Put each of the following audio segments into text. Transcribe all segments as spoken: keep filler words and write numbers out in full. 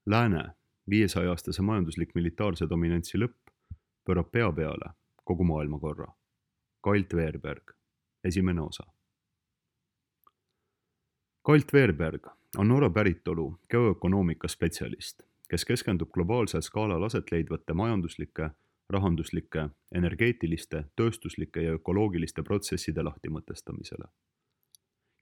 Lääne viiesaja-aastase majanduslik-militaarse dominantsi lõpp pöörab pea peale kogu maailmakorra. Kail Tveerberg, esimene osa. Kail Tveerberg on Norra päritolu geoökonoomika spetsialist, kes keskendub globaalsel skaalal aset leidvate majanduslike, rahanduslike, energeetiliste, tööstuslike ja ökoloogiliste protsesside lahtimõtestamisele.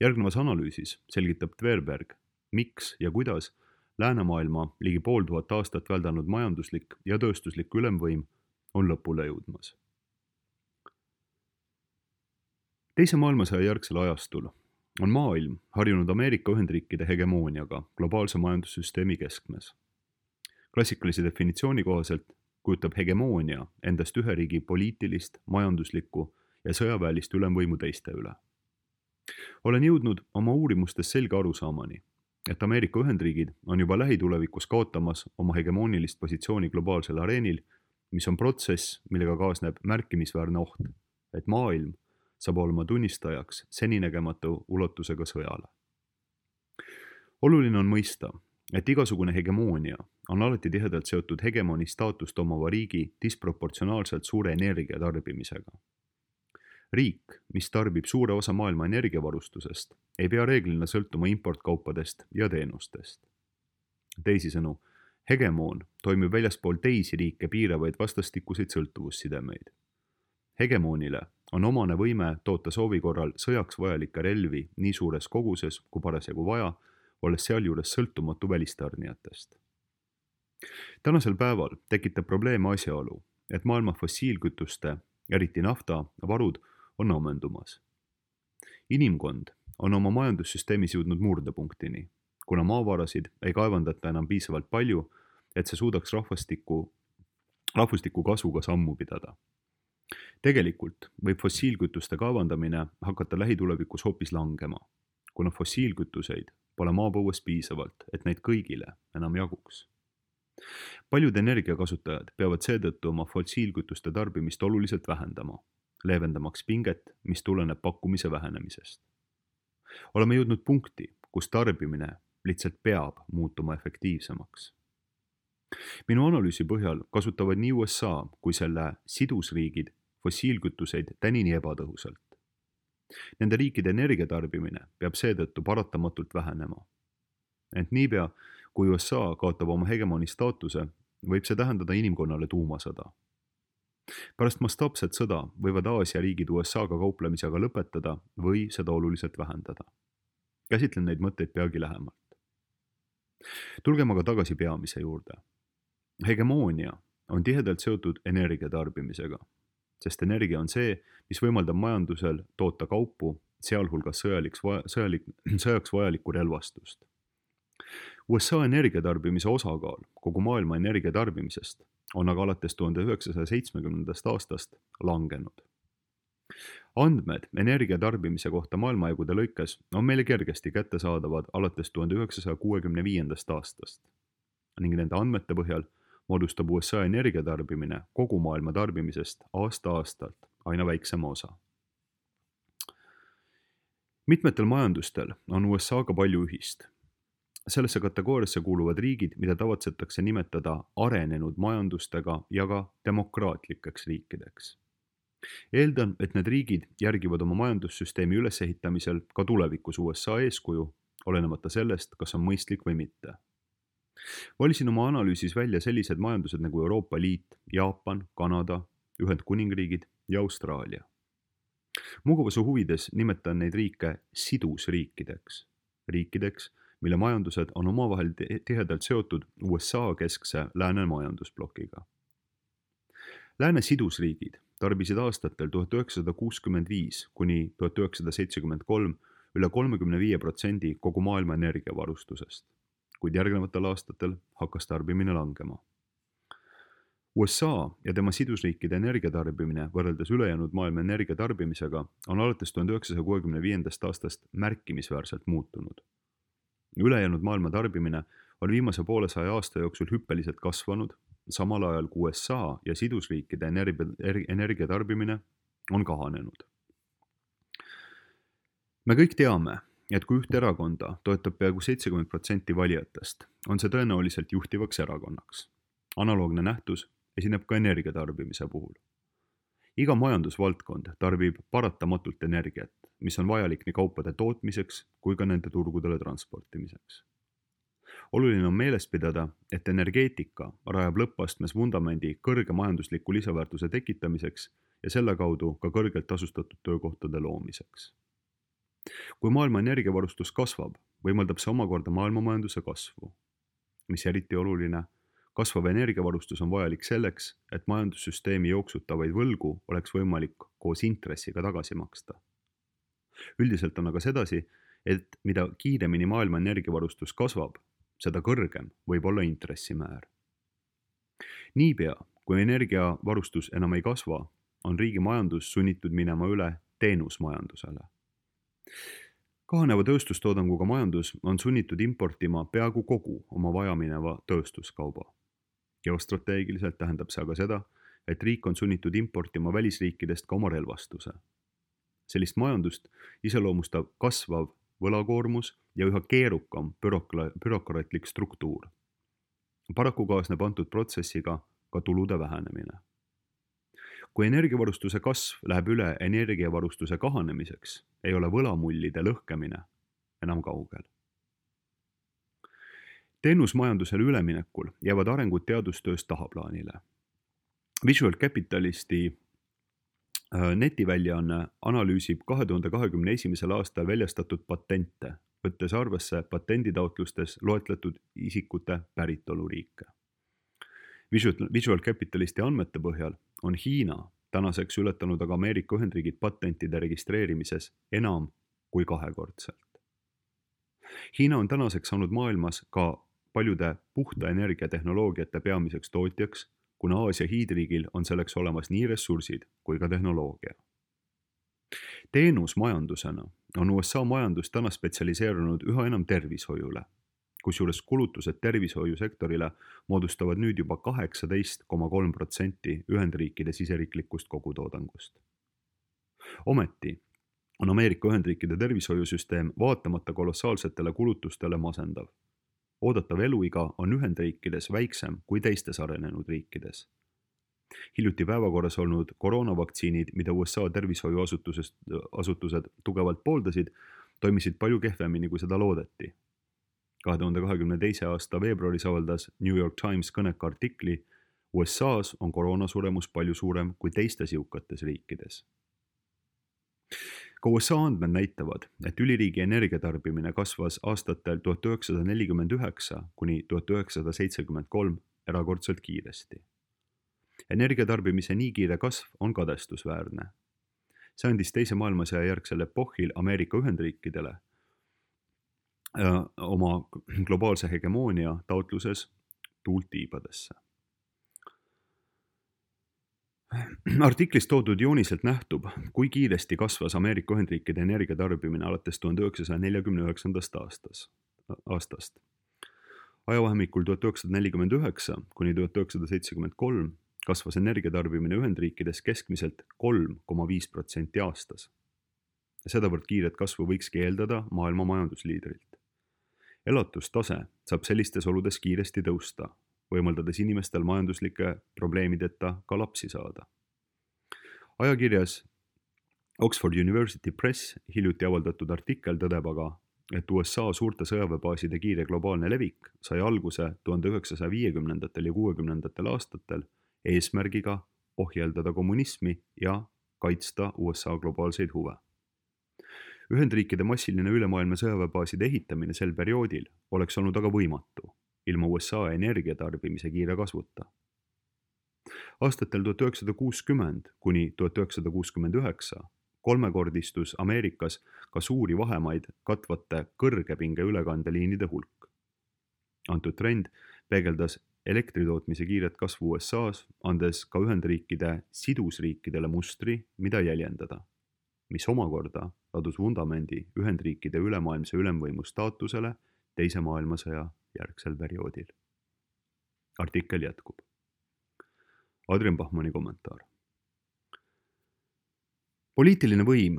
Järgnevas analüüsis selgitab Tveerberg, miks ja kuidas läänemaailma ligi pool tuhat aastat väldanud majanduslik ja tööstuslik ülemvõim on lõpule jõudmas. Teise maailmasõja järgsel ajastul on maailm harjunud Ameerika Ühendriikide hegemooniaga globaalse majandussüsteemi keskmes. Klassikalise definitsiooni kohaselt kujutab hegemoonia endast ühe riigi poliitilist, majanduslikku ja sõjaväelist ülemvõimu teiste üle. Olen jõudnud oma uurimustes selge arusaamani, et Ameerika Ühendriigid on juba lähitulevikus kaotamas oma hegemoonilist positsiooni globaalsel areenil, mis on protsess, millega kaasneb märkimisväärne oht, et maailm saab olema tunnistajaks seninägematu ulatusega sõjale. Oluline on mõista, et igasugune hegemoonia on alati tihedalt seotud hegemoni staatust omava riigi disproportsionaalselt suure energia tarbimisega. Riik, mis tarbib suure osa maailma energiavarustusest, ei pea reeglina sõltuma importkaupadest ja teenustest. Teisisõnu, hegemoon toimib väljaspool teisi riike piiravaid vastastikuseid sõltuvussidemeid. Hegemoonile on omane võime toota soovi korral sõjaks vajalikke relvi nii suures koguses kui parasjagu vaja, olles sealjuures sõltumatu välistarnijatest. Tänasel päeval tekitab probleeme asjaolu, et maailma fossiilkütuste, eriti nafta, varud on ammendumas. Inimkond on oma majandussüsteemis jõudnud murdepunktini, kuna maavarasid ei kaevandata enam piisavalt palju, et see suudaks rahvastiku, rahvastiku kasvuga sammu pidada. Tegelikult võib fossiilkütuste kaevandamine hakata lähitulevikus hoopis langema, kuna fossiilkütuseid pole maapõues piisavalt, et neid kõigile enam jaguks. Paljud energiakasutajad peavad seetõttu oma fossiilkütuste tarbimist oluliselt vähendama, leevendamaks pinget, mis tuleneb pakkumise vähenemisest. Oleme jõudnud punkti, kus tarbimine lihtsalt peab muutuma efektiivsemaks. Minu analüüsi põhjal kasutavad nii U S A kui selle sidusriigid fossiilkütuseid tänini ebatõhusalt. Nende riikide energiatarbimine peab seetõttu paratamatult vähenema. Ent niipea, kui U S A kaotab oma hegemoni staatuse, võib see tähendada inimkonnale tuumasõda. Pärast mastaapset sõda võivad Aasia riigid U S A-ga kauplemise aga lõpetada või seda oluliselt vähendada. Käsitlen neid mõtteid peagi lähemalt. Tulgem aga tagasi peamise juurde. Hegemoonia on tihedalt seotud energiatarbimisega, sest energia on see, mis võimaldab majandusel toota kaupu, sealhulgas sõjaliks, sõjalik, sõjaks vajalikku relvastust. U S A energiatarbimise osakaal kogu maailma energiatarbimisest on aga alates tuhande üheksasaja seitsmekümnendast aastast langenud. Andmed energiatarbimise kohta maailmajagude lõikes on meile kergesti kättesaadavad alates tuhande üheksasaja kuuekümne viiendast aastast ning nende andmete põhjal moodustab U S A energiatarbimine kogu maailma tarbimisest aasta-aastalt aina väiksema osa. Mitmetel majandustel on U S A-ga palju ühist. Sellesse kategooriasse kuuluvad riigid, mida tavatsetakse nimetada arenenud majandustega ja ka demokraatlikeks riikideks. Eeldan, et need riigid järgivad oma majandussüsteemi ülesehitamisel ka tulevikus U S A eeskuju, olenemata sellest, kas on mõistlik või mitte. Valisin oma analüüsis välja sellised majandused nagu Euroopa Liit, Jaapan, Kanada, Ühendkuningriigid ja Austraalia. Mugavuse huvides nimetan neid riike sidusriikideks. Riikideks, mille majandused on omavahel tihedalt seotud U S A keskse lääne majandusplokiga. Lääne sidusriigid tarbisid aastatel tuhat üheksasada kuuskümmend viis kuni tuhat üheksasada seitsekümmend kolm üle kolmekümne viie protsendi kogu maailma energiavarustusest, kuid järgnevatel aastatel hakkas tarbimine langema. U S A ja tema sidusriikide energiatarbimine võrreldes ülejäänud maailma energiatarbimisega on alates tuhande üheksasaja kuuekümne viiendast aastast märkimisväärselt muutunud. Ülejäänud maailma tarbimine on viimase poolesaja aasta jooksul hüppeliselt kasvanud, samal ajal kui U S A ja sidusriikide energiatarbimine on kahanenud. Me kõik teame, et kui ühte erakonda toetab peaaegu seitsekümmend protsenti valijatest, on see tõenäoliselt juhtivaks erakonnaks. Analoogne nähtus esineb ka energia tarbimise puhul. Iga majandusvaldkond tarbib paratamatult energiat, mis on vajalik nii kaupade tootmiseks kui ka nende turgudele transportimiseks. Oluline on meeles pidada, et energeetika rajab lõppastmes vundamendi kõrge majandusliku lisaväärtuse tekitamiseks ja selle kaudu ka kõrgelt tasustatud töökohtade loomiseks. Kui maailma energiavarustus kasvab, võimaldab see omakorda maailma majanduse kasvu. Mis eriti oluline, kasvav energiavarustus on vajalik selleks, et majandussüsteemi jooksutavaid võlgu oleks võimalik koos intressiga tagasi maksta. Üldiselt on aga sedasi, et mida kiiremini maailma energiavarustus kasvab, seda kõrgem võib olla intressimäär. Niipea, kui energiavarustus enam ei kasva, on riigi majandus sunnitud minema üle teenusmajandusele. Kahaneva tööstustoodanguga majandus on sunnitud importima peaaegu kogu oma vajamineva tööstuskauba. Geostrateegiliselt tähendab see aga seda, et riik on sunnitud importima välisriikidest ka oma relvastuse. Sellist majandust iseloomustab kasvav võlakoormus ja üha keerukam bürokla- bürokraatlik struktuur. Paraku kaasneb antud protsessiga ka tulude vähenemine. Kui energiavarustuse kasv läheb üle energiavarustuse kahanemiseks, ei ole võlamullide lõhkemine enam kaugel. Teenusmajandusele üleminekul jäävad arengud teadustöös tahaplaanile. Visual Capitalisti netiväljaanne analüüsib kahe tuhande kahekümne esimesel aastal väljastatud patente, võttes arvesse patenditaotlustes loetletud isikute päritoluriike. Visual Capitalisti andmete põhjal on Hiina tänaseks ületanud aga Ameerika Ühendriigid patentide registreerimises enam kui kahekordselt. Hiina on tänaseks saanud maailmas ka paljude puhta energiatehnoloogiate peamiseks tootjaks, kuna Aasia hiidriigil on selleks olemas nii ressursid kui ka tehnoloogia. Teenusmajandusena on U S A majandus täna spetsialiseerunud üha enam tervishoiule, kusjuures kulutused tervishoiusektorile moodustavad nüüd juba kaheksateist koma kolm protsenti Ühendriikide siseriiklikust kogutoodangust. Ometi on Ameerika Ühendriikide tervishoiusüsteem vaatamata kolossaalsetele kulutustele masendav. Oodatav eluiga on Ühendriikides väiksem kui teistes arenenud riikides. Hiljuti päevakorras olnud koroonavaktsiinid, mida U S A tervishoiuasutused tugevalt pooldasid, toimisid palju kehvemini, kui seda loodeti. kahe tuhande kahekümne teise aasta veebruaris avaldas New York Times kõneka artikli U S A-s on koroonasuremus palju suurem kui teistes jõukates riikides. Ka U S A andmed näitavad, et üliriigi energiatarbimine kasvas aastatel tuhat üheksasada nelikümmend üheksa kuni tuhat üheksasada seitsekümmend kolm erakordselt kiiresti. Energiatarbimise nii kiire kasv on kadestusväärne. See andis teise maailmasõja järgsel epohhil Ameerika Ühendriikidele oma globaalse hegemoonia taotluses tuult tiibadesse. Artiklis toodud jooniselt nähtub, kui kiiresti kasvas Ameerika Ühendriikide energiatarbimine alates tuhande üheksasaja neljakümne üheksandast aastast. Ajavahemikul tuhat üheksasada nelikümmend üheksa kuni tuhat üheksasada seitsekümmend kolm kasvas energiatarbimine Ühendriikides keskmiselt kolm koma viis protsenti aastas. Sedavõrd kiiret kasvu võikski eeldada maailma majandusliidrilt. Elatustase saab sellistes oludes kiiresti tõusta, võimaldades inimestel majanduslike probleemideta ka lapsi saada. Ajakirjas Oxford University Press hiljuti avaldatud artikkel tõdeb aga, et U S A suurte sõjaväebaaside kiire globaalne levik sai alguse tuhande üheksasaja viiekümnendatel ja kuuekümnendatel aastatel eesmärgiga ohjeldada kommunismi ja kaitsta U S A globaalseid huve. Ühendriikide massiline ülemaailma sõjaväebaaside ehitamine sel perioodil oleks olnud aga võimatu, ilma U S A energiatarbimise kiire kasvuta. Aastatel tuhat üheksasada kuuskümmend kuni tuhat üheksasada kuuskümmend üheksa kolmekordistus Ameerikas ka suuri vahemaid katvate kõrgepinge ülekandeliinide hulk. Antud trend peegeldas elektritootmise kiiret kasvu U S A-s, andes ka Ühendriikide sidusriikidele mustri, mida jäljendada, mis omakorda ladus vundamendi Ühendriikide ülemaailmse ülemvõimu staatusele teise maailmasõja järgsel perioodil. Artikkel jätkub. Adrian Bachmanni kommentaar. Poliitiline võim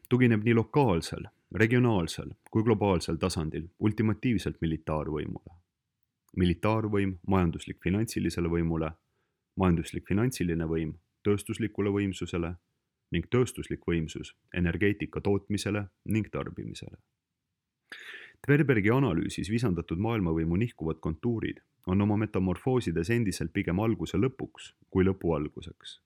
tugineb nii lokaalsel regionaalsel kui globaalsel tasandil ultimatiivselt militaarvõimule. Militaarvõim majanduslik finantsilisele võimule, majanduslik finantsiline võim tööstuslikule võimsusele ning tööstuslik võimsus energeetika tootmisele ning tarbimisele. Tverbergi analüüsis visandatud maailmavõimu nihkuvad kontuurid on oma metamorfoosides endiselt pigem alguse lõpuks kui lõpu alguseks.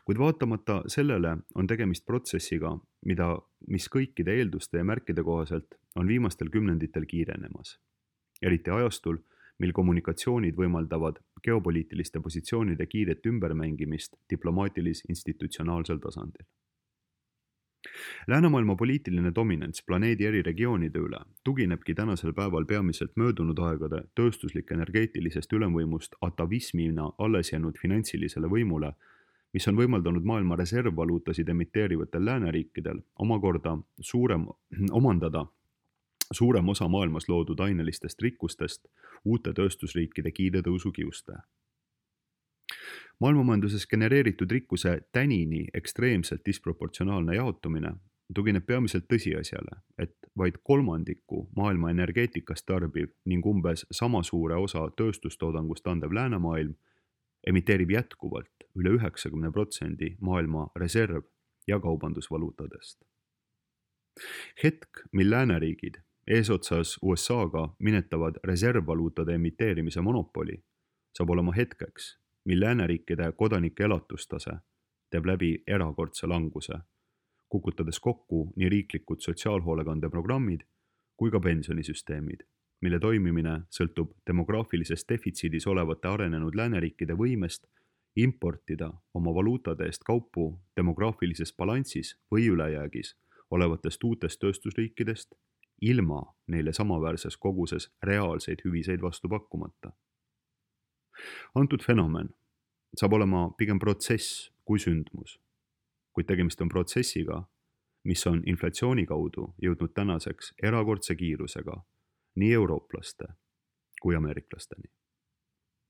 Kuid vaatamata sellele on tegemist protsessiga, mida, mis kõikide eelduste ja märkide kohaselt on viimastel kümnenditel kiirenemas. Eriti ajastul, mil kommunikatsioonid võimaldavad geopoliitiliste positsioonide kiiret ümbermängimist diplomaatilis-institutsionaalsel tasandil. Läänemaailma poliitiline dominants planeedi eri regioonide üle tuginebki tänasel päeval peamiselt möödunud aegade tööstuslik energeetilisest ülemvõimust atavismina alles jäänud finantsilisele võimule, mis on võimaldanud maailma reservvaluutasid emiteerivatel lääneriikidel omakorda suurem, omandada suurem osa maailmas loodud ainelistest rikkustest uute tööstusriikide kiire tõusu kiuste. Maailmamajanduses genereeritud rikkuse tänini ekstreemselt disproportsionaalne jaotumine tugineb peamiselt tõsiasjale, et vaid kolmandiku maailma energeetikast tarbiv ning umbes sama suure osa tööstustoodangust andev läänemaailm emiteerib jätkuvalt üle üheksakümne protsendi maailma reserv- ja kaubandusvaluutadest. Hetk, mil lääneriigid eesotsas U S A-ga minetavad reservvaluutade emiteerimise monopoli, saab olema hetkeks, mil lääneriikide kodanike elatustase teeb läbi erakordse languse, kukutades kokku nii riiklikud sotsiaalhoolekandeprogrammid kui ka pensionisüsteemid, mille toimimine sõltub demograafilises defitsiidis olevate arenenud lääneriikide võimest importida oma valuutade eest kaupu demograafilises balansis või ülejäägis olevatest uutest tööstusriikidest ilma neile samaväärses koguses reaalseid hüviseid vastu pakkumata. Antud fenomen saab olema pigem protsess kui sündmus, kuid tegemist on protsessiga, mis on inflatsiooni kaudu jõudnud tänaseks erakordse kiirusega nii eurooplaste kui ameeriklasteni.